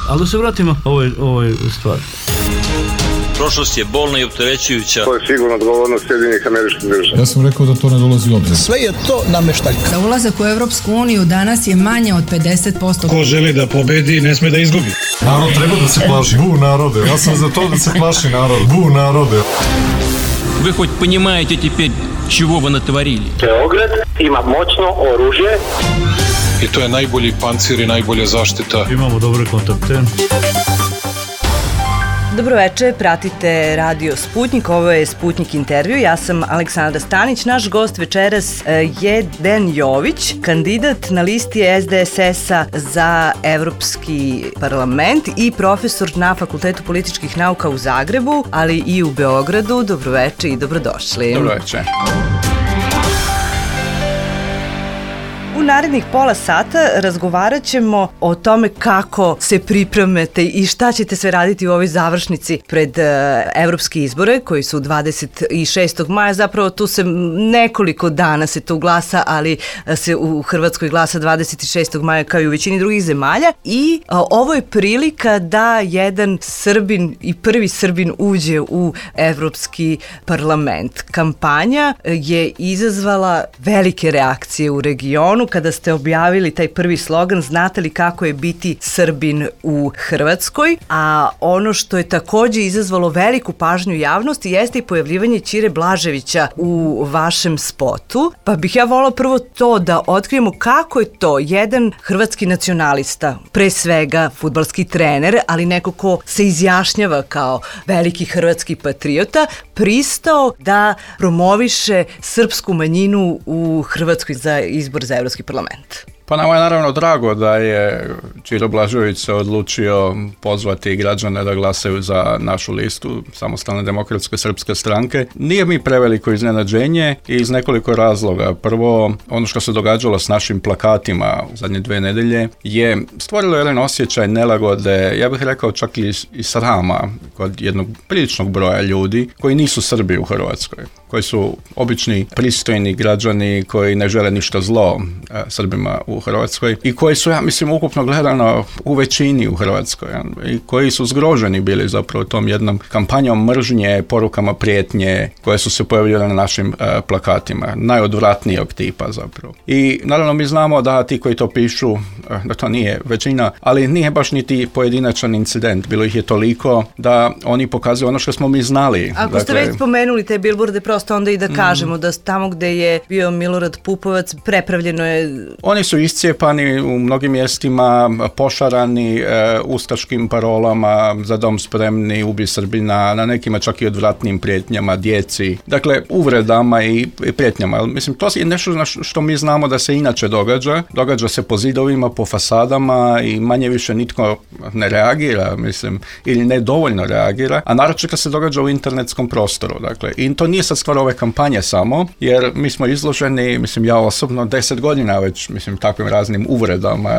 Ali da se vratimo ovoj stvari. Prošlost je bolna i opterećujuća. To je sigurno odgovornost Sjedinjenih Američkih Država. Ja sam rekao da to ne dolazi u obzir. Sve je to nameštaljka. Za ulazak u Evropsku uniju danas je manje od 50%. Ko želi da pobedi, ne sme da izgubi. Narod treba da se plaši. Bu narode. Ja sam za to da se plaši narod. Bu narode. Вы хоть понимаете теперь, чего вы натворили? Beograd ima moćno oružje. I to je najbolji pancir i najbolja zaštita. Imamo dobre kontakte. Dobroveče, pratite Radio Sputnik, ovo je Sputnik intervju, ja sam Aleksandra Stanić, naš gost večeras je Dejan Jović, kandidat na listi SDSS-a za Evropski parlament i profesor na Fakultetu političkih nauka u Zagrebu, ali i u Beogradu. Dobroveče i dobrodošli. Dobroveče. U narednih pola sata razgovarat ćemo o tome kako se pripremate i šta ćete sve raditi u ovoj završnici pred evropske izbore koji su 26. maja. Zapravo tu se nekoliko dana se tu glasa, ali se u Hrvatskoj glasa 26. maja kao i u većini drugih zemalja. I ovo je prilika da jedan Srbin i prvi Srbin uđe u Evropski parlament. Kampanja je izazvala velike reakcije u regionu. Kada ste objavili taj prvi slogan, znate li kako je biti Srbin u Hrvatskoj? A ono što je također izazvalo veliku pažnju javnosti jeste i pojavljivanje Ćire Blaževića u vašem spotu. Pa bih ja volila prvo to da otkrijemo kako je to jedan hrvatski nacionalista, pre svega fudbalski trener, ali neko ko se izjašnjava kao veliki hrvatski patriota, pristao da promoviše srpsku manjinu u Hrvatskoj za izbor za Evropski parlament. Pa nama je naravno drago da je Ćiro Blažević se odlučio pozvati građane da glasaju za našu listu Samostalne demokratske srpske stranke. Nije mi preveliko iznenađenje i iz nekoliko razloga. Prvo, ono što se događalo s našim plakatima u zadnje 2 nedelje je stvorilo jedan osjećaj nelagode, ja bih rekao čak i srama kod jednog priličnog broja ljudi koji nisu Srbi u Hrvatskoj, koji su obični pristojni građani koji ne žele ništa zlo Srbima u Hrvatskoj i koji su, ja mislim, ukupno gledano u većini u Hrvatskoj i koji su zgroženi bili zapravo tom jednom kampanjom mržnje, porukama prijetnje koje su se pojavljale na našim plakatima, najodvratnijeg tipa zapravo. I naravno mi znamo da ti koji to pišu, da to nije većina, ali nije baš niti pojedinačan incident, bilo ih je toliko da oni pokazuju ono što smo mi znali. Ako ste već spomenuli te bilborde, prosto onda i da kažemo da tamo gde je bio Milorad Pupovac prepravljeno je... Oni su iscijepani u mnogim mjestima, pošarani ustaškim parolama, za dom spremni, ubi Srbina, na nekima čak i odvratnim prijetnjama djeci, dakle uvredama i prijetnjama. Mislim, to je nešto što mi znamo da se inače događa se po zidovima, po fasadama i manje više nitko ne reagira, mislim, ili ne dovoljno reagira, a naročito se događa u internetskom prostoru, dakle, i to nije sad stvar ove kampanje samo, jer mi smo izloženi, mislim, ja osobno 10 godina već, mislim, takvim raznim uvredama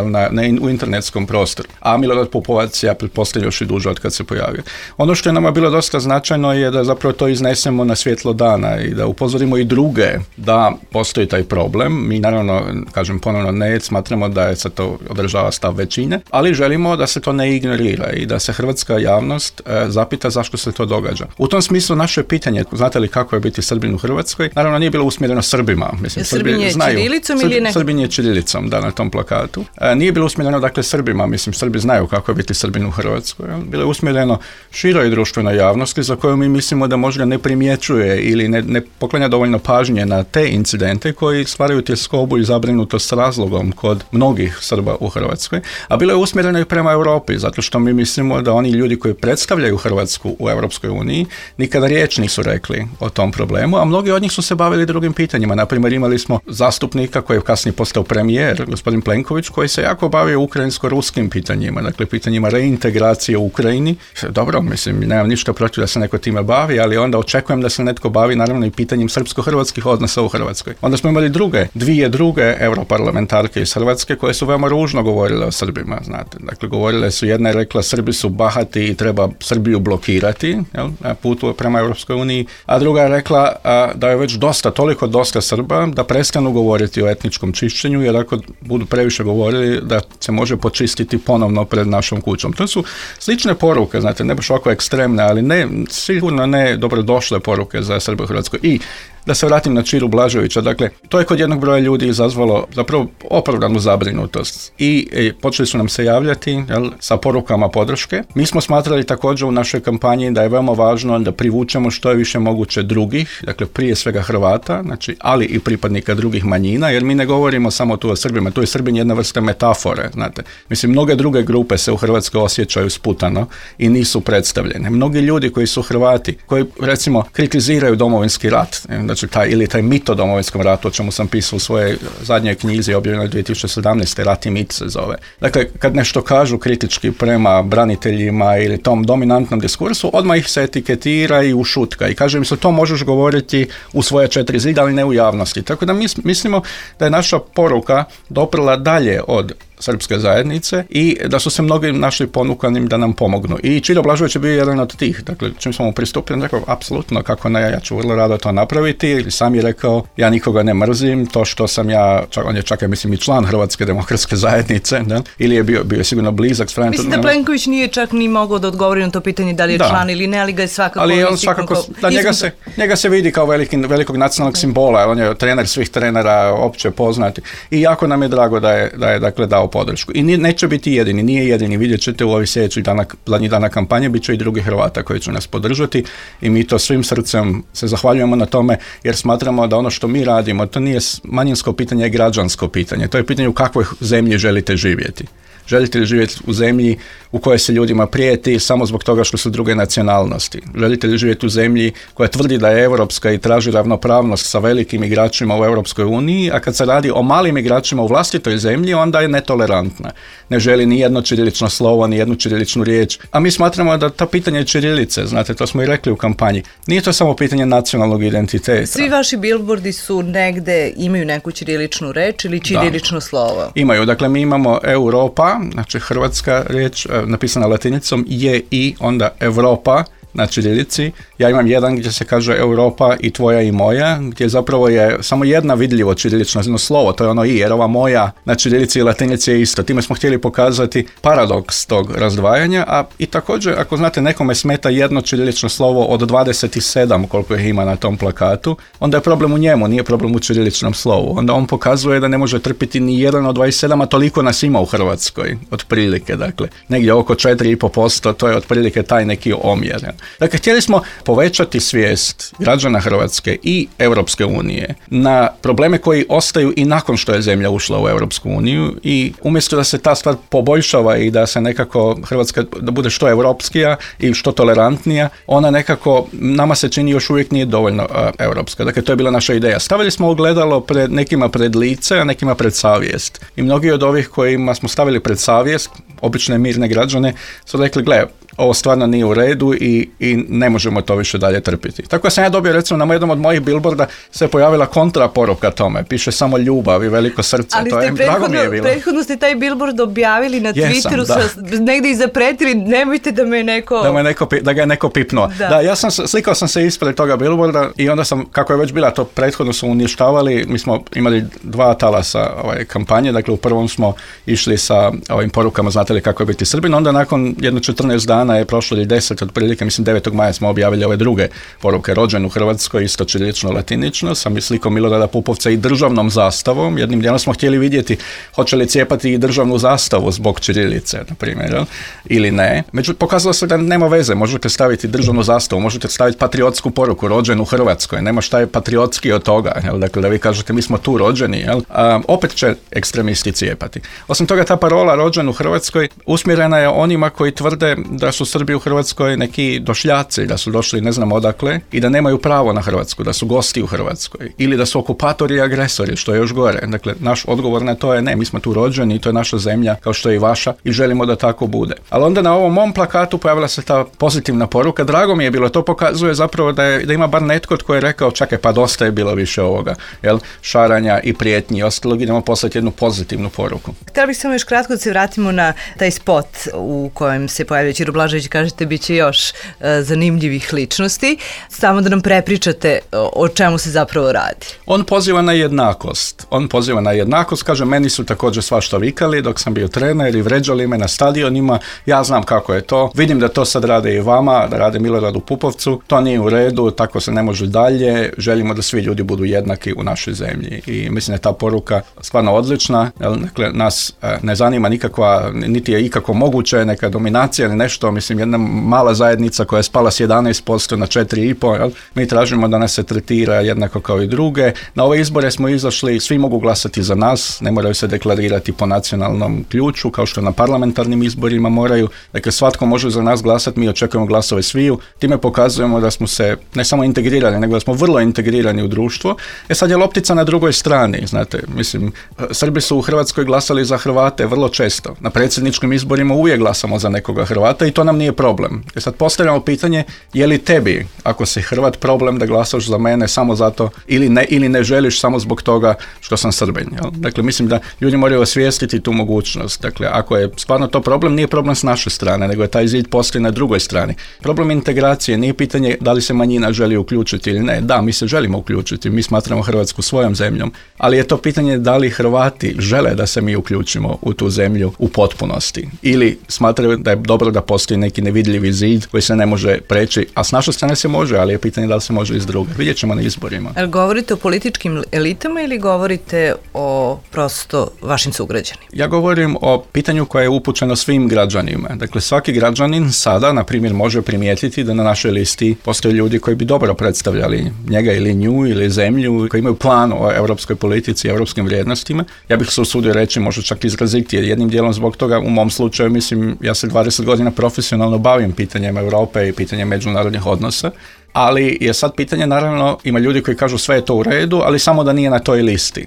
u internetskom prostoru. A Milorad Pupovac, ja pretpostavljam, još i duže od kad se pojavio. Ono što je nama bilo dosta značajno je da zapravo to iznesemo na svjetlo dana i da upozorimo i druge da postoji taj problem. Mi naravno, kažem ponovno, ne smatramo da je sad to održava stav većine, ali želimo da se to ne ignorira i da se hrvatska javnost zapita zašto se to događa. U tom smislu naše pitanje, znate li kako je biti Srbin u Hrvatskoj, naravno nije bilo usmjereno Srbima. Mislim, Srbin je ćirilicom ili ne? Srbin je ćirilicom, da, na tom plakatu. Nije bilo usmjereno, dakle, Srbima, mislim, Srbi znaju kako je biti Srbin u Hrvatskoj. Bilo je usmjereno široj društvenoj javnosti za koju mi mislimo da možda ne primjećuje ili ne poklanja dovoljno pažnje na te incidente koji stvaraju tjeskobu i zabrinutost s razlogom kod mnogih Srba u Hrvatskoj. A bilo je usmjereno i prema Europi, zato što mi mislimo da oni ljudi koji predstavljaju Hrvatsku u Europskoj uniji nikada riječ nisu rekli o tom problemu, a mnogi od njih su se bavili drugim pitanjima. Naprimjer, imali smo zastupnika koji je kasnije postao premijer, gospodin Plenković, koji se jako bavio ukrajinsko-ruskim pitanjima, dakle pitanjima reintegracije u Ukrajini. Dobro, mislim, nemam ništa protiv da se neko time bavi, ali onda očekujem da se netko bavi naravno i pitanjem srpsko-hrvatskih odnosa u Hrvatskoj. Onda smo imali dvije druge europarlamentarke iz Hrvatske koje su veoma ružno govorile o Srbima, znate. Dakle, govorile su, jedna je rekla Srbi su bahati i treba Srbiju blokirati, jel, na putu prema Europskoj uniji, a druga je rekla rekla da je već toliko dosta Srba da prestanu govoriti o etničkom čišćenju, jer ako budu previše govorili da se može počistiti ponovno pred našom kućom. To su slične poruke, znate, ne baš ovako ekstremne, ali sigurno ne dobrodošle poruke za Srbe u Hrvatskoj. I da se vratim na Čiru Blaževića, dakle, to je kod jednog broja ljudi izazvalo zapravo opravdanu zabrinutost i počeli su nam se javljati sa porukama podrške. Mi smo smatrali također u našoj kampanji da je veoma važno da privučemo što je više moguće drugih, dakle prije svega Hrvata, znači, ali i pripadnika drugih manjina, jer mi ne govorimo samo tu o Srbima, tu je Srbin jedna vrsta metafore, znate. Mislim, mnoge druge grupe se u Hrvatskoj osjećaju sputano i nisu predstavljene. Mnogi ljudi koji su Hrvati, koji recimo kritiziraju Domovinski rat, znači taj mit o Domovinskom ratu, o čemu sam pisao u svojoj zadnjoj knjizi objavljenoj 2017. Rat i mit se zove. Dakle, kad nešto kažu kritički prema braniteljima ili tom dominantnom diskursu, odmah ih se etiketira i ušutka i kaže im se to možeš govoriti u svoje 4 zida, ali ne u javnosti. Tako da mislimo da je naša poruka doprla dalje od srpske zajednice i da su se mnogi našli ponukanim da nam pomognu. I Čiro Blažević je bio jedan od tih. Dakle, čim smo mu pristupili, rekao, apsolutno, kako ne, ja ću vrlo rado to napraviti. Sam je rekao, ja nikoga ne mrzim, to što sam ja, on je čak, ja mislim, i član Hrvatske demokratske zajednice, da? Ili je bio sigurno blizak. Mislim da Plenković nije čak ni mogao da odgovori na to pitanje da li je član ili ne, ali ga je svakako... Ali on svakako, njega se vidi kao velikog nacionalnog simbola, on je trener svih trenera, opće poznati. I jako nam je drago da je dakle dao podršku. I neće biti jedini, nije jedini. Vidjet ćete u ovih sljedećih zadnjih dana kampanje, bit će i drugi Hrvata koji će nas podržati i mi to svim srcem se zahvaljujemo na tome jer smatramo da ono što mi radimo, to nije manjinsko pitanje, je građansko pitanje. To je pitanje u kakvoj zemlji želite živjeti. Želite li živjeti u zemlji u kojoj se ljudima prijeti samo zbog toga što su druge nacionalnosti? Želite li živjeti u zemlji koja tvrdi da je europska i traži ravnopravnost sa velikim igračima u Europskoj uniji, a kad se radi o malim igračima u vlastitoj zemlji, onda je netolerantna. Ne želi ni jedno ćirilično slovo, ni jednu ćiriličnu riječ. A mi smatramo da to pitanje ćirilice, znate, to smo i rekli u kampanji, nije to samo pitanje nacionalnog identiteta. Svi vaši bilbordi su negde, imaju neku ćiriličnu reč ili ćirilično slovo? Imaju, dakle mi imamo Europa, znači hrvatska riječ napisana latinicom je i onda Europa na ćirilici. Ja imam jedan gdje se kaže Europa i tvoja i moja, gdje zapravo je samo jedna vidljivo ćirilično slovo, to je ono i, jer ova moja na ćirilici i latinici je isto. Time smo htjeli pokazati paradoks tog razdvajanja, a i također, ako znate, nekome smeta jedno ćirilično slovo od 27 koliko ih ima na tom plakatu, onda je problem u njemu, nije problem u ćiriličnom slovu. Onda on pokazuje da ne može trpiti ni jedan od 27, a toliko nas ima u Hrvatskoj, otprilike, dakle, negdje oko 4,5%, to je otprilike taj neki omjer. Dakle, htjeli smo povećati svijest građana Hrvatske i Europske unije na probleme koji ostaju i nakon što je zemlja ušla u Europsku uniju i umjesto da se ta stvar poboljšava i da se nekako Hrvatska da bude što europskija i što tolerantnija, ona nekako nama se čini još uvijek nije dovoljno europska. Dakle, to je bila naša ideja. Stavili smo ogledalo nekima pred lice, a nekima pred savjest. I mnogi od ovih kojima smo stavili pred savjest, obične mirne građane, su rekli, gle, ovo stvarno nije u redu i ne možemo to više dalje trpiti. Tako sam ja dobio, recimo, na jednom od mojih billboarda se pojavila kontraporuka tome. Piše samo ljubav i veliko srce. Ali to je, drago mi je bilo. Prethodno ste taj billboard objavili na Twitteru, negdje i zapretili, nemojte da me neko... Da ga je neko pipnuo. Da, slikao sam se ispred toga billboarda i onda sam, kako je već bila, to prethodno su uništavali, mi smo imali 2 talasa kampanje, dakle u prvom smo išli sa ovim porukama, znate li kako je biti Srbin, onda nakon jedno 14 dana je prošlo ili 10 otprilike, mislim 9. maja smo objavili ove druge poruke, rođen u Hrvatskoj, isto ćirilično, latinično, sa slikom Milorada Pupovca i državnom zastavom. Jednim dijelom smo htjeli vidjeti hoće li cijepati i državnu zastavu zbog ćirilice, na primjer, ili ne. Međutim, pokazalo se da nema veze, možete staviti državnu zastavu, možete staviti patriotsku poruku, rođen u Hrvatskoj, nema šta je patriotski od toga, dakle da vi kažete mi smo tu rođeni, opet će ekstremisti cijepati. Osim toga, ta parola rođen u Hrvatskoj usmjerena je onima koji tvrde da su Srbi u Hrvatskoj neki došljaci, da su došli ne znam odakle i da nemaju pravo na Hrvatsku, da su gosti u Hrvatskoj ili da su okupatori i agresori, što je još gore. Dakle, naš odgovor na to je ne, mi smo tu rođeni, to je naša zemlja kao što je i vaša i želimo da tako bude. Ali onda na ovom mom plakatu pojavila se ta pozitivna poruka, drago mi je bilo, to pokazuje zapravo da ima bar netko tko je rekao čekaj, pa dosta je bilo više ovoga, šaranja i prijetnji i ostalog, idemo poslati jednu pozitivnu poruku. Htjela bih samo još kratko da se vratimo na taj spot u kojem se pojavio Čiro Blažević Blažević, kažete, bit će još zanimljivih ličnosti. Samo da nam prepričate o čemu se zapravo radi. On poziva na jednakost. Kaže, meni su također svašta vikali dok sam bio trener i vređali me na stadionima. Ja znam kako je to. Vidim da to sad rade i vama, da rade Miloradu Pupovcu. To nije u redu, tako se ne može dalje. Želimo da svi ljudi budu jednaki u našoj zemlji. I mislim da je ta poruka stvarno odlična. Dakle, nas ne zanima nikakva, niti je ikako moguće neka dominacija ili nešto. Mislim, jedna mala zajednica koja je spala s 11% na 4,5%. Mi tražimo da nas se tretira jednako kao i druge. Na ove izbore smo izašli, svi mogu glasati za nas, ne moraju se deklarirati po nacionalnom ključu, kao što na parlamentarnim izborima moraju. Dakle, svatko može za nas glasati, mi očekujemo glasove sviju. Time pokazujemo da smo se ne samo integrirali, nego da smo vrlo integrirani u društvo. Sad je loptica na drugoj strani, znate, mislim, Srbi su u Hrvatskoj glasali za Hrvate vrlo često. Na predsjedničkim izborima uvijek glasamo za nekoga Hrvata i to nam nije problem. Sad postavljamo pitanje, je li tebi, ako si Hrvat, problem da glasaš za mene samo zato ili ne želiš samo zbog toga što sam Srbin. Jel? Dakle, mislim da ljudi moraju osvijestiti tu mogućnost. Dakle, ako je stvarno to problem, nije problem s naše strane, nego je taj zid postoji na drugoj strani. Problem integracije nije pitanje da li se manjina želi uključiti ili ne. Da, mi se želimo uključiti, mi smatramo Hrvatsku svojom zemljom, ali je to pitanje da li Hrvati žele da se mi uključimo u tu zemlju u potpunosti. Ili smatraju da je dobro da postoji neki nevidljivi zid koji se ne može preći, a s naše strane se može, ali je pitanje da li se može iz druge. Vidjet ćemo na izborima. Ali govorite o političkim elitama ili govorite o prosto vašim sugrađanima? Ja govorim o pitanju koje je upućeno svim građanima. Dakle, svaki građanin sada, na primjer, može primijetiti da na našoj listi postoje ljudi koji bi dobro predstavljali njega ili nju ili zemlju, koji imaju plan o europskoj politici i europskim vrijednostima. Ja bih se usudio reći, možda čak izraziti, jednim dijelom zbog toga, u mom slučaju, mislim, ja se 20 godina profesionalno bavim pitanjem Europe i pitanjem međunarodnih odnosa. Ali je sad pitanje, naravno, ima ljudi koji kažu sve je to u redu, ali samo da nije na toj listi.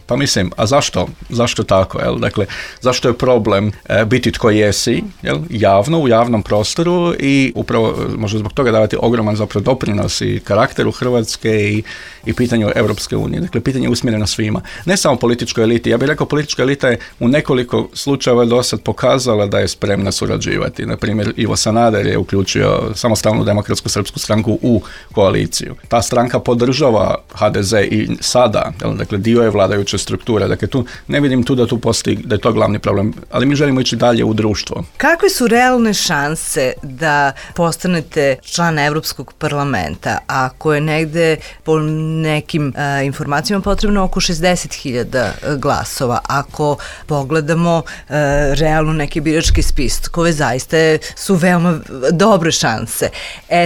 Pa mislim, a zašto? Zašto tako? Jel? Dakle, zašto je problem biti tko jesi, jel? Javno, u javnom prostoru i upravo možda zbog toga davati ogroman zapravo doprinos i karakteru Hrvatske i pitanju Europske unije. Dakle, pitanje je usmjereno svima. Ne samo političkoj eliti. Ja bih rekao, politička elita je u nekoliko slučajeva do sad pokazala da je spremna surađivati. Na primjer, Ivo Sanader je uključio Samostalnu demokratsku srpsku stranku u koaliciju. Ta stranka podržava HDZ i sada, jel? Dakle, dio je vladajuće strukture. Dakle, tu ne vidim da tu postoji, da je to glavni problem, ali mi želimo ići dalje u društvo. Kakve su realne šanse da postanete član Evropskog parlamenta, ako je negde po nekim informacijama potrebno oko 60.000 glasova? Ako pogledamo realno neke biračke spiskove, zaista su veoma dobre šanse.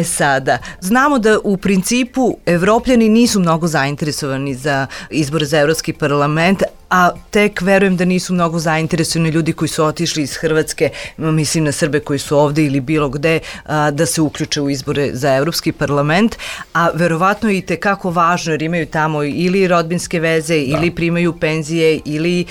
Sada, znamo da u principu Evropljani nisu mnogo zainteresovani za izbore za Evropski parlament, a tek verujem da nisu mnogo zainteresovani ljudi koji su otišli iz Hrvatske, mislim na Srbe koji su ovde ili bilo gde, da se uključe u izbore za Evropski parlament, a verovatno je i tekako važno jer imaju tamo ili rodbinske veze, ili primaju penzije, ili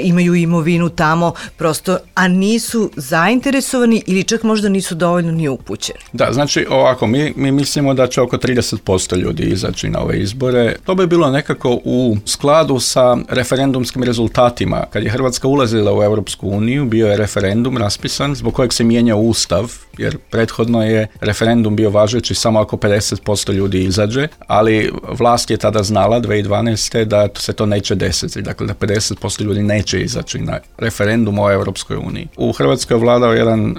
imaju imovinu tamo, prosto, a nisu zainteresovani ili čak možda nisu dovoljno ni upućeni. Da, znači ovako, mi mislimo da će oko 30% ljudi izaći na ove izbore. To bi bilo nekako u skladu sa referendumskim rezultatima. Kad je Hrvatska ulazila u Europsku uniju, bio je referendum raspisan zbog kojeg se mijenjao Ustav, jer prethodno je referendum bio važeći samo ako 50% ljudi izađe, ali vlast je tada znala 2012. da se to neće desiti, dakle da 50% ljudi neće izaći na referendum o Europskoj uniji. U Hrvatskoj je vladao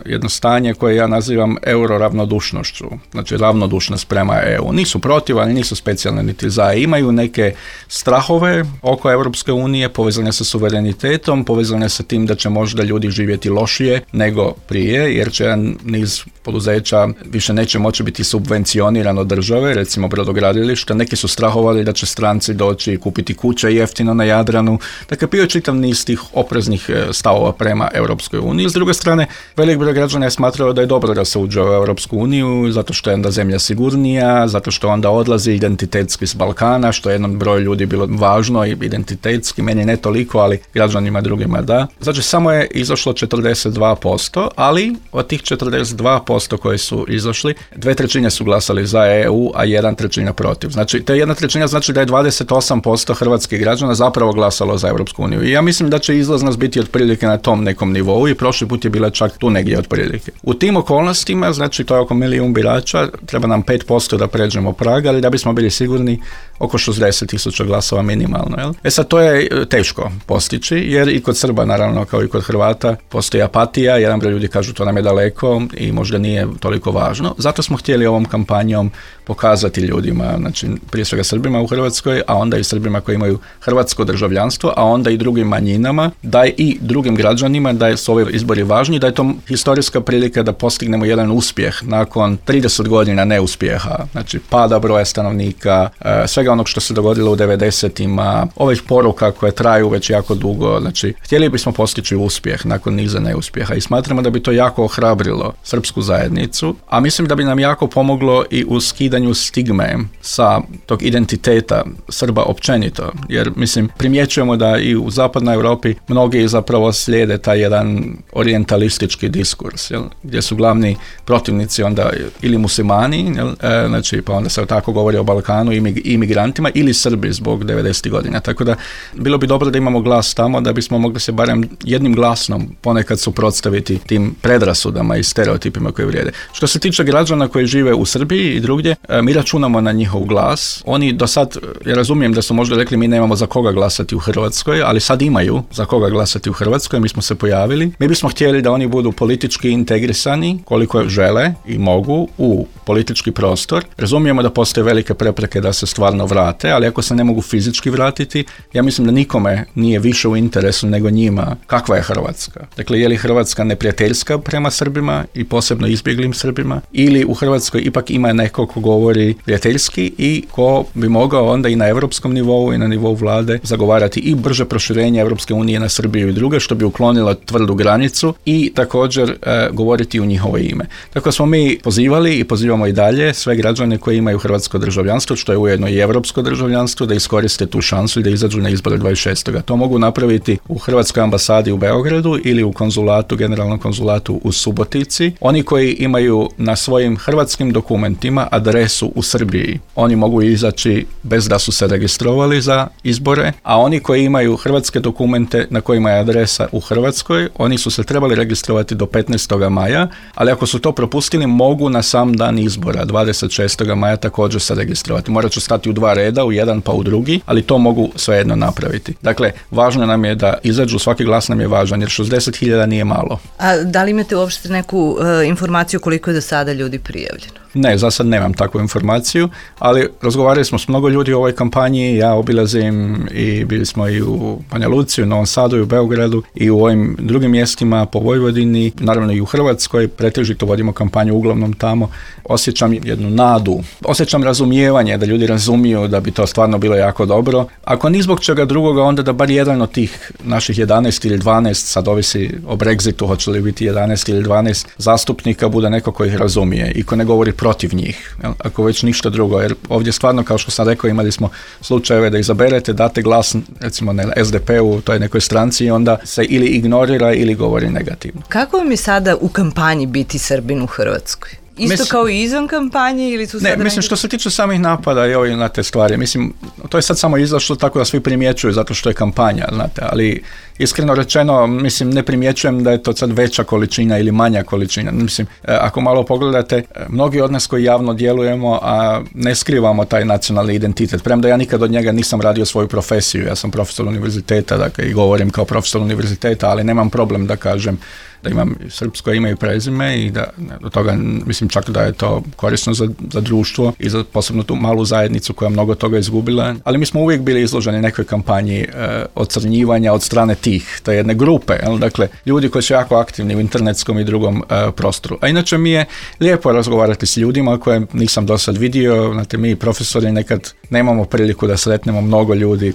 jedno stanje koje ja nazivam euroravnodušnošću, znači ravnodušnost prema EU. Nisu protiv, ali nisu specijalne niti za. Imaju neke strahove oko Europske unije, povezane sa suverenitetom, povezane sa tim da će možda ljudi živjeti lošije nego prije, jer će niz poduzeća više neće moći biti subvencioniran od države, recimo brodogradilišta. Neki su strahovali da će stranci doći i kupiti kuće jeftino na Jadranu. Dakle, bio je čitav niz tih opreznih stavova prema Europskoj uniji. S druge strane, velik broj građana je smatrao da je dobro da se uđe u Europsku uniju, zato što je onda zemlja sigurnija, zato što onda odlazi identitetski s Balkana, što je jednom broju ljudi bilo važno i identitetski, meni ne toliko, ali građanima drugima da. Znači, samo je izašlo 42%, ali od tih 42% koji su izašli, 2/3 su glasali za EU, a 1/3 protiv. Znači, te 1/3 znači da je 28% hrvatskih građana zapravo glasalo za Europsku uniju. I ja mislim da će izlaznost biti otprilike na tom nekom nivou i prošli put je bila čak tu negdje otprilike. U tim okolnostima, znači to je oko 1 milijun birača, treba nam 5% da pređemo prag, ali da bismo bili sigurni oko 60.000 glasova minimalno. Jel? Sad to je teško postići, jer i kod Srba, naravno, kao i kod Hrvata, postoji apatija, jedan broj ljudi kažu to nam je daleko i možda nije toliko važno. Zato smo htjeli ovom kampanjom pokazati ljudima, znači prije svega Srbima u Hrvatskoj, a onda i Srbima koji imaju hrvatsko državljanstvo, a onda i drugim manjinama, da i drugim građanima, da su ovi izbori važni, da je to historijska prilika da postignemo jedan uspjeh nakon 30 godina neuspjeha, znači pada broja stanovnika, svega onog što se dogodilo u 90-ima, ovih poruka koje traju već jako dugo, znači htjeli bismo postići uspjeh nakon niza neuspjeha i smatramo da bi to jako ohrabrilo srpsku zajednicu, a mislim da bi nam jako pomoglo i u skidanju stigme sa tog identiteta Srba općenito, jer mislim primjećujemo da i u zapadnoj Europi mnogi zapravo slijede taj jedan orijentalistički diskurs, jel? Gdje su glavni protivnici onda ili muslimani, jel? Znači pa onda se tako govori o Balkanu i imigrantima, ili Srbi zbog 90. godina, tako da bilo bi dobro da imamo glas tamo da bismo mogli se barem jednim glasnom ponekad suprotstaviti tim predrasudama i stereotipima koji vrijede. Što se tiče građana koji žive u Srbiji i drugdje, mi računamo na njihov glas. Oni do sad, ja razumijem da su možda rekli mi nemamo za koga glasati u Hrvatskoj, ali sad imaju za koga glasati u Hrvatskoj, mi smo se pojavili. Mi bismo htjeli da oni budu politički integrisani koliko žele i mogu u politički prostor. Razumijemo da postoje velike prepreke da se stvarno vrate, ali ako se ne mogu fizički vratiti, ja mislim da nikome nije više u interesu nego njima kakva je Hrvatska. Dakle, je li Hrvatska neprijateljska prema Srbima i posebno izbjeglim Srbima, ili u Hrvatskoj ipak ima neko ko govori prijateljski i ko bi mogao onda i na europskom nivou i na nivou vlade zagovarati i brže proširenje Europske unije na Srbiju i druge, što bi uklonilo tvrdu granicu i također govoriti u njihovo ime. Tako smo mi pozivali i pozivamo i dalje sve građane koji imaju hrvatsko državljanstvo, što je ujedno i europsko državljanstvo, da iskoriste tu šansu i da izađu na izbore 26. To mogu napraviti u Hrvatskoj ambasadi u Beogradu ili u konzulatu, generalnom konzulatu u Subotici. Oni koji imaju na svojim hrvatskim dokumentima adresu u Srbiji, oni mogu izaći bez da su se registrovali za izbore, a oni koji imaju hrvatske dokumente na kojima je adresa u Hrvatskoj, oni su se trebali registrovati do 15. maja, ali ako su to propustili, mogu na sam dan izbora, 26. maja, također se registrovati. Morat ću stati u 2 reda, u jedan pa u drugi, ali to mogu svejedno napraviti. Dakle, važno nam je da izađu, svaki glas nam je važan, jer 60.000 nije malo. A da li imate uopšte neku informaciju koliko je do sada ljudi prijavljeno? Ne, za sad nemam takvu informaciju, ali razgovarali smo s mnogo ljudi u ovoj kampanji, ja obilazim i bili smo i u Banja Luci, u Novom Sadu i u Beogradu i u ovim drugim mjestima po Vojvodini, naravno i u Hrvatskoj, pretežito vodimo kampanju uglavnom tamo. Osjećam jednu nadu, osjećam razumijevanje, da ljudi razumiju da bi to stvarno bilo jako dobro. Ako ni zbog čega drugoga, onda da bar jedan od tih naših 11 ili 12, sad ovisi o Brexitu, hoće li biti 11 ili 12 zastupnika, bude neko koji ih razumije i ko ne govori protiv njih, ako već ništa drugo, jer ovdje stvarno, kao što sam rekao, imali smo slučajeve da izaberete, date glas recimo na SDP-u, toj nekoj stranci, i onda se ili ignorira ili govori negativno. Kako vam je sada u kampanji biti Srbin u Hrvatskoj? Isto kao i izvan kampanje ili su sada... Ne, mislim, što se tiče samih napada i ovih na te stvari, mislim, to je sad samo izašlo tako da svi primjećuju zato što je kampanja, znate, ali iskreno rečeno, mislim, ne primjećujem da je to sad veća količina ili manja količina. Mislim, ako malo pogledate, mnogi od nas koji javno djelujemo, a ne skrivamo taj nacionalni identitet, premda ja nikad od njega nisam radio svoju profesiju, ja sam profesor univerziteta, dakle, i govorim kao profesor univerziteta, ali nemam problem da kažem da imam srpsko ime i prezime i da do toga mislim čak da je to korisno za društvo i za posebno tu malu zajednicu koja mnogo toga izgubila, ali mi smo uvijek bili izloženi nekoj kampanji ocrnjivanja od strane tih, te jedne grupe, dakle ljudi koji su jako aktivni u internetskom i drugom prostoru. A inače mi je lijepo razgovarati s ljudima koje nisam do sad vidio, znate, mi profesori nekad nemamo priliku da sretnemo mnogo ljudi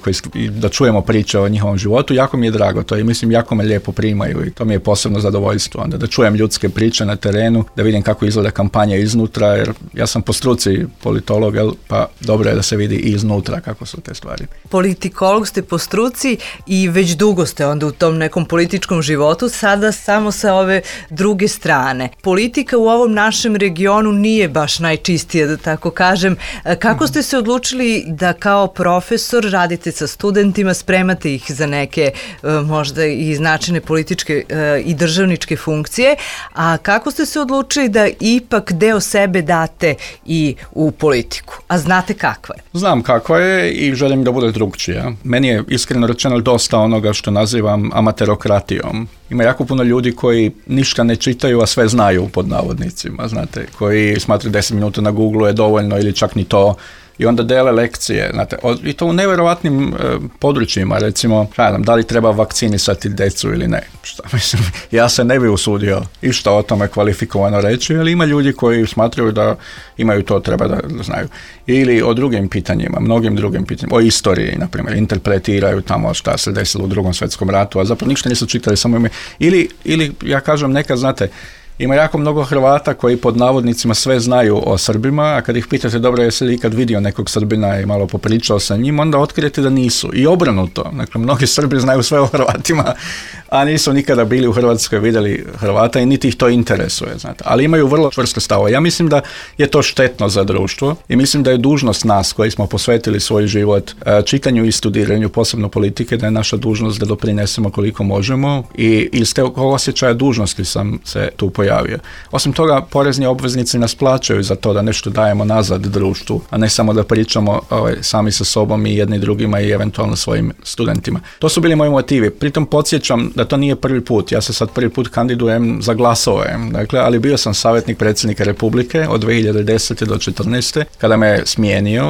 da čujemo priče o njihovom životu. Jako mi je drago to i mislim jako me lijepo primaju i to mi je posebno zadovoljstvo onda da čujem ljudske priče na terenu, da vidim kako izgleda kampanja iznutra, jer ja sam po struci politolog, pa dobro je da se vidi i iznutra kako su te stvari. Politikolog ste po struci i već dugo ste onda u tom nekom političkom životu, sada samo sa ove druge strane. Politika u ovom našem regionu nije baš najčistija, da tako kažem. Kako ste se odlučili da kao profesor radite sa studentima, spremate ih za neke možda i značajne političke i državničke funkcije, a kako ste se odlučili da ipak deo sebe date i u politiku? A znate kakva je? Znam kakva je i želim da bude drugčija. Meni je iskreno rečeno dosta onoga što nazivam amaterokratijom. Ima jako puno ljudi koji ništa ne čitaju, a sve znaju pod navodnicima, znate, koji smatraju 10 minuta na Google je dovoljno ili čak ni to. I onda dele lekcije, znate, i to u nevjerovatnim područjima, recimo, da li treba vakcinisati djecu ili ne. Mislim, ja se ne bi usudio išta o tome kvalifikovano reći, ali ima ljudi koji smatraju da imaju to, treba da znaju. Ili o drugim pitanjima, mnogim drugim pitanjima, o istoriji, na primjer, interpretiraju tamo šta se desilo u Drugom svjetskom ratu, a zapravo ništa nisu čitali, samo ime. Ili ja kažem nekad, znate, ima jako mnogo Hrvata koji pod navodnicima sve znaju o Srbima, a kad ih pitate dobro jesi li ikad vidio nekog Srbina i malo popričao sa njim, onda otkrijete da nisu. I obrnuto. Dakle, mnogi Srbi znaju sve o Hrvatima, a nisu nikada bili u Hrvatskoj, vidjeli Hrvata i niti ih to interesuje. Znate. Ali imaju vrlo čvrste stavove. Ja mislim da je to štetno za društvo i mislim da je dužnost nas koji smo posvetili svoj život čitanju i studiranju, posebno politike, da je naša dužnost da doprinesemo koliko možemo i iz tog osjećaja dužnosti sam se tu pojavio. Osim toga, porezni obveznici nas plaćaju za to da nešto dajemo nazad društvu, a ne samo da pričamo sami sa sobom i jedni drugima i eventualno svojim studentima. To su bili moji motivi. Pritom podsjećam da to nije prvi put. Ja se sad prvi put kandidujem za glasove. Dakle, ali bio sam savjetnik predsjednika Republike od 2010. do 2014. kada me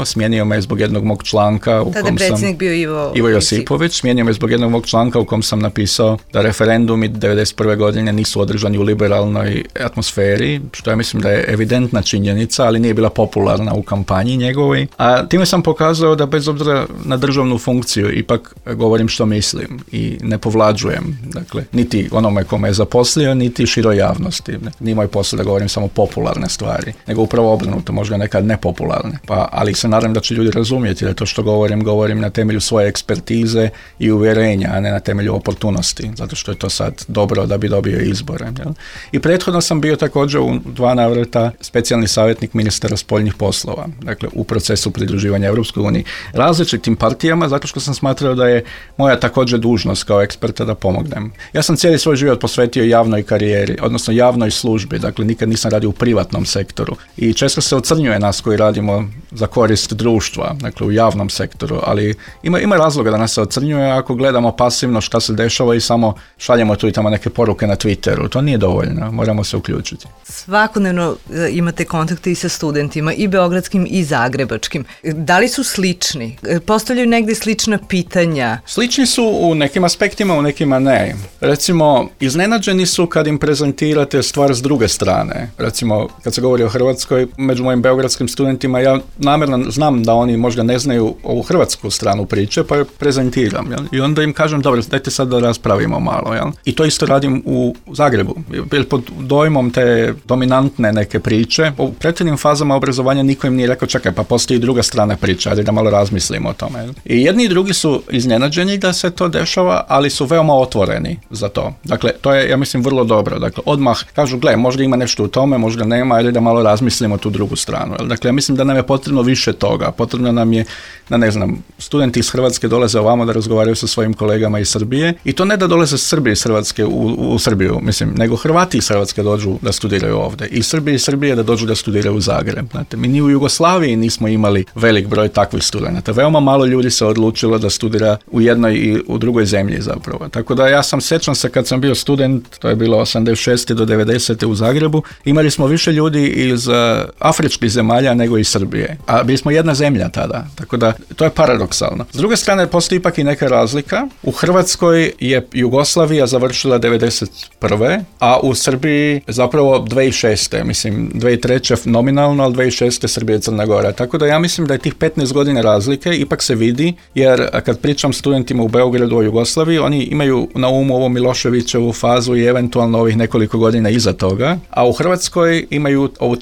smijenio me zbog jednog mog članka u kom sam... bio Ivo Josipović. Smijenio me zbog jednog mog članka u kom sam napisao da referendumi 1991. godine nisu održani u liberalnoj atmosferi, što ja mislim da je evidentna činjenica, ali nije bila popularna u kampanji njegovoj. A time sam pokazao da bez obzira na državnu funkciju ipak govorim što mislim i ne povlađujem. Dakle, niti onome kome je zaposlio, niti široj javnosti. Nije moj posao da govorim samo popularne stvari, nego upravo obrnuto, možda nekad nepopularne. Ali se nadam da će ljudi razumjeti da to što govorim na temelju svoje ekspertize i uvjerenja, a ne na temelju oportunosti, zato što je to sad dobro da bi dobio izbore. Jel? I prethodno sam bio također u 2 navrata specijalni savjetnik ministara spoljnih poslova, dakle u procesu pridruživanja Europskoj uniji, različitim partijama, zato što sam smatrao da je moja također dužnost kao eksperta da pomognem. Ja sam cijeli svoj život posvetio javnoj karijeri, odnosno javnoj službi, dakle nikad nisam radio u privatnom sektoru i često se ocrnjuje nas koji radimo za korist društva, dakle u javnom sektoru, ali ima razloga da nas se ocrnjuje ako gledamo pasivno šta se dešava i samo šaljemo tu i tamo neke poruke na Twitteru. To nije dovoljno, moramo se uključiti. Svakodnevno imate kontakte i sa studentima, i beogradskim i zagrebačkim. Da li su slični? Postavljaju negdje slična pitanja? Slični su u nekim aspektima, u nekima ne. Recimo, iznenađeni su kad im prezentirate stvar s druge strane. Recimo, kad se govori o Hrvatskoj, među mojim beogradskim studentima, ja namjerno znam da oni možda ne znaju ovu hrvatsku stranu priče, pa je prezentiram. Jel? I onda im kažem, dobro, dajte sad da raspravimo malo. Jel? I to isto radim u Zagrebu. Pod dojmom te dominantne neke priče, u prethodnim fazama obrazovanja niko im nije rekao, čekaj, pa postoji druga strana priča, ali da malo razmislimo o tome. Jel? I jedni i drugi su iznenađeni da se to dešava, ali su veoma otvoreni za to. Dakle, to je, ja mislim, vrlo dobro. Dakle, odmah kažu, gle, možda ima nešto u tome, možda nema, ali da malo razmislimo tu drugu stranu. Jel? Dakle, ja mislim da nam je potrebno više toga. Potrebno nam je, da ne znam, studenti iz Hrvatske dolaze ovamo da razgovaraju sa svojim kolegama iz Srbije i to ne da dolaze Srbi iz Hrvatske u Srbiju, mislim, nego Hrvati iz Hrvatske dođu da studiraju ovdje. I Srbije da dođu da studiraju u Zagreb. Znate, mi ni u Jugoslaviji nismo imali velik broj takvih studenata. Veoma malo ljudi se odlučilo da studira u jednoj i u drugoj zemlji zapravo. Tako da ja sjećam se kad sam bio student, to je bilo 86. do 90. u Zagrebu, imali smo više ljudi iz afričkih zemalja nego iz Srbije. A bili smo jedna zemlja tada. Tako da to je paradoksalno. S druge strane, postoji ipak i neka razlika. U Hrvatskoj je Jugoslavija završila 91. a u Srbiji Srbiji zapravo 2006. Mislim, 2003. nominalno, ali 2006. Srbija i Crna Gora. Tako da ja mislim da je tih 15 godina razlike ipak se vidi, jer kad pričam studentima u Beogradu o Jugoslaviji, oni imaju na umu ovo Miloševićevu fazu i eventualno ovih nekoliko godina iza toga, a u Hrvatskoj imaju ovu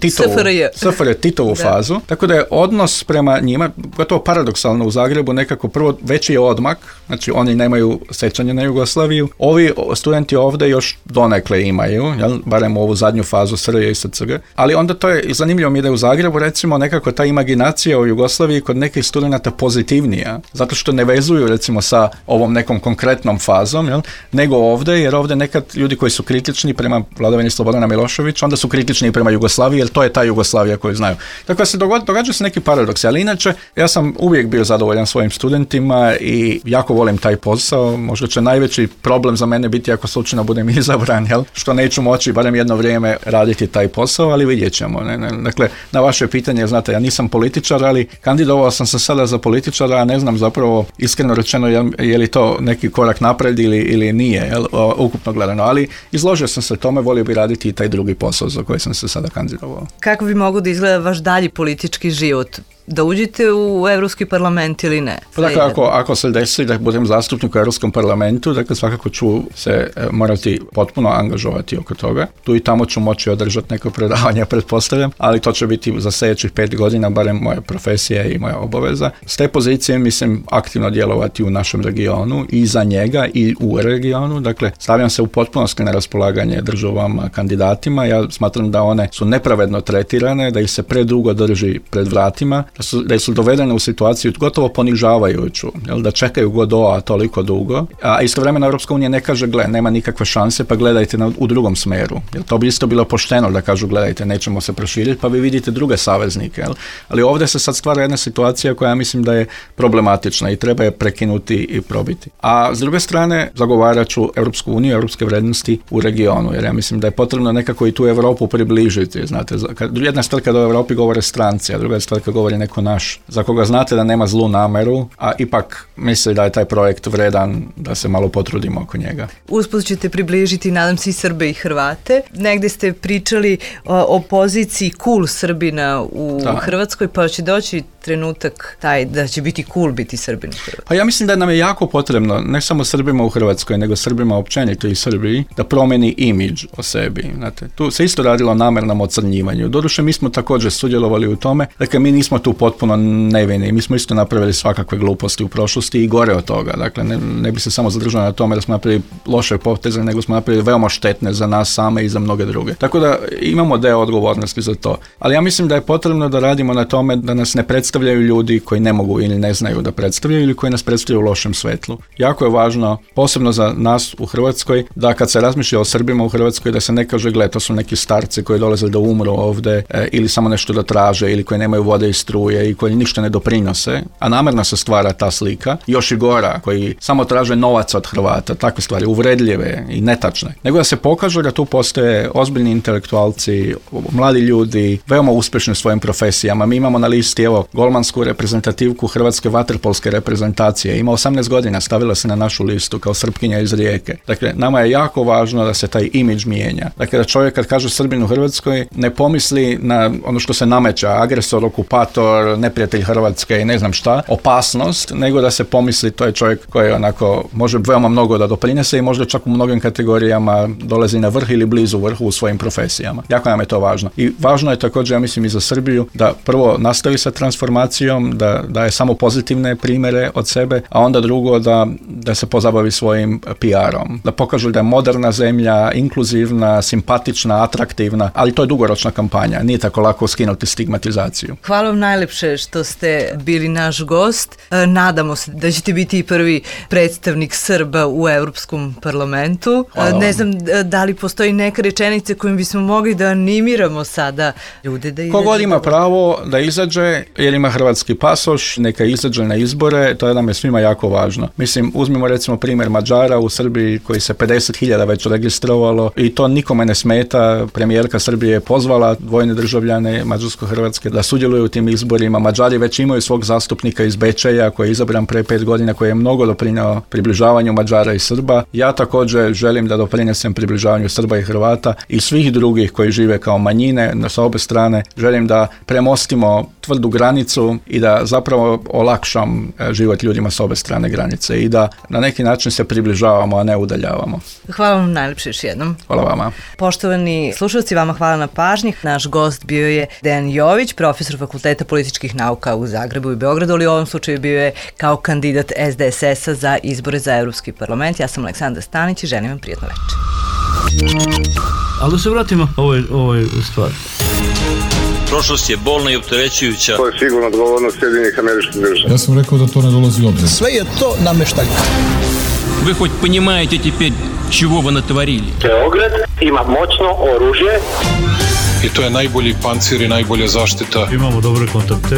Titovu fazu. Tako da je odnos prema njima, gotovo paradoksalno u Zagrebu, nekako prvo veći je odmak, znači oni nemaju sećanje na Jugoslaviju, ovi studenti ovdje još donekle imaju, jel? Barem ovu zadnju fazu SRJ i SCG, ali onda to je zanimljivo mi da je u Zagrebu recimo nekako ta imaginacija o Jugoslaviji kod nekih studenata pozitivnija, zato što ne vezuju recimo sa ovom nekom konkretnom fazom, jel? Nego ovdje, jer ovdje nekad ljudi koji su kritični prema vladavini Slobodana Miloševića, onda su kritični prema Jugoslaviji, jer to je ta Jugoslavija koju znaju. Tako da se događa se neki paradoksi, ali inače ja sam uvijek bio zadovoljan svojim studentima i jako volim taj posao. Možda će najveći problem za mene biti ako slučajno budem izabran, jel? Što neću moći barem jedno vrijeme raditi taj posao, ali vidjet ćemo. Dakle, na vaše pitanje, znate, ja nisam političar, ali kandidovao sam se sada za političara, a ne znam zapravo iskreno rečeno je li to neki korak napred ili nije, jel? Ukupno gledano, ali izložio sam se tome, volio bi raditi i taj drugi posao za koji sam se sada kandidovao. Kako bi mogao da izgleda vaš dalji politički život? Da uđete u Evropski parlament ili ne? Pa dakle, ako se desi da budem zastupnik u Europskom parlamentu, dakle svakako ću se morati potpuno angažovati oko toga. Tu i tamo ću moći održati neko predavanje, pretpostavljam, ali to će biti za sljedećih 5 godina, barem moja profesija i moja obaveza. S te pozicije mislim aktivno djelovati u našem regionu i za njega i u regionu. Dakle, stavljam se u potpunosti na raspolaganje državama, kandidatima. Ja smatram da one su nepravedno tretirane, da ih se predugo drži pred vratima, da su dovedene u situaciju gotovo ponižavajuću, jel, da čekaju Godota toliko dugo, a istovremeno Europska unija ne kaže, nema nikakve šanse, pa gledajte u drugom smeru. Jel, to bi isto bilo pošteno da kažu, gledajte, nećemo se proširiti, pa vi vidite druge saveznike. Jel. Ali ovdje se sad stvara jedna situacija koja mislim da je problematična i treba je prekinuti i probiti. A s druge strane, zagovarat ću Europsku uniju, europske vrijednosti u regionu, jer ja mislim da je potrebno nekako i tu Europu približiti. Znate, jedna stvar kada o Europi govore stranci, a druga stvar kada govori neko naš, za koga znate da nema zlu nameru, a ipak misli da je taj projekt vredan da se malo potrudimo oko njega. Usput ćete približiti, nadam se, i Srbe i Hrvate. Negde ste pričali o poziciji cool Srbina u Hrvatskoj, pa će doći trenutak taj da će biti cool biti Srbin u Hrvatskoj. Pa ja mislim da nam je jako potrebno, ne samo Srbima u Hrvatskoj, nego Srbima općenito i Srbiji, da promeni imidž o sebi. Znate, tu se isto radilo o namernom ocrnjivanju. Doduše, mi smo također sudjelovali u tome, dakle, mi nismo tu potpuno nevini, mi smo isto napravili svakakve gluposti u prošlosti i gore od toga. Dakle, ne bi se samo zadržao na tome da smo napravili loše poteze, nego smo napravili veoma štetne za nas same i za mnoge druge. Tako da imamo deo odgovornosti za to. Ali ja mislim da je potrebno da radimo na tome da nas ne predstavljaju ljudi koji ne mogu ili ne znaju da predstavljaju ili koji nas predstavljaju u lošem svetlu. Jako je važno, posebno za nas u Hrvatskoj, da kad se razmišlja o Srbima u Hrvatskoj, da se ne kaže, gle, to su neki starci koji dolaze da umru ovde ili samo nešto da traže ili koji nemaju vode i struje i koji ništa ne doprinose, a namerno se stvara ta slika, još i gora, koji samo traže novac od Hrvata, takve stvari, uvredljive i netačne. Nego da se pokaže da tu postoje ozbiljni intelektualci, mladi ljudi, veoma uspješni u svojim profesijama. Mi imamo na listi, evo, golmansku reprezentativku hrvatske vaterpolske reprezentacije. Ima 18 godina, stavila se na našu listu kao Srpkinja iz Rijeke. Dakle, nama je jako važno da se taj imidž mijenja. Dakle, da čovjek kad kaže Srbin u Hrvatskoj ne pomisli na ono što se nameća, agresor, okupator, neprijatelj Hrvatske i ne znam šta, opasnost, nego da se pomisli to je čovjek koji onako može veoma mnogo da doprinese i možda čak u mnogim kategorijama dolazi na vrh ili blizu vrhu u svojim profesijama. Jako nam je to važno. I važno je također, ja mislim, i za Srbiju da prvo nastavi sa transformacijom, da daje samo pozitivne primjere od sebe, a onda drugo da se pozabavi svojim PR-om. Da pokažu da je moderna zemlja, inkluzivna, simpatična, atraktivna, ali to je dugoročna kampanja. Nije tako lako skinuti stigmatizaciju. Hvala vam najlepše što ste bili naš gost. Nadamo se da ćete biti i prvi predstavnik Srba u Europskom parlamentu. Ne znam da li postoji neka rečenica kojim bismo mogli da animiramo sada ljude da izađe. Kogod ima pravo da izađe, jer ima hrvatski pasoš, neka izađe na izbore, to nam je svima jako važno. Mislim, uzmimo recimo primjer Mađara u Srbiji koji se 50.000 već registrovalo i to nikome ne smeta. Premijerka Srbije je pozvala dvojne državljane mađarsko-hrvatske da sudjeluju u tim izborima. Mađari već imaju svog zastupnika iz Bečeja koji je izabran pre 5 godina, koji je mnogo doprinio približavanju Mađara i Srba. Ja također želim da doprinesem približavanju Srba i Hrvata i svih drugih koji žive kao manjine sa obe strane. Želim da premostimo tvrdu granicu i da zapravo olakšam život ljudima s obe strane granice i da na neki način se približavamo, a ne udaljavamo. Hvala vam najlepše još jednom. Hvala vama. Poštovani slušalci, vama hvala na pažnji. Naš gost bio je Dejan Jović, profesor Fakulteta političkih nauka u Zagrebu i Beogradu, ali u ovom slučaju bio je kao kandidat SDSS-a za izbore za Evropski parlament. Ja sam Aleksandra Stanić i želim vam prijatno večer. Ali da se vratimo ovoj stvari. Prošlost je bolna i opterećujuća. To je sigurno odgovornost Sjedinjenih Američkih Država. Ja sam rekao da to ne dolazi u obzir. Sve je to nameštaljka. Вы хоть понимаете теперь, чего вы натворили? Beograd ima moćno oružje. I to je najbolji pancir i najbolja zaštita. Imamo dobre kontakte.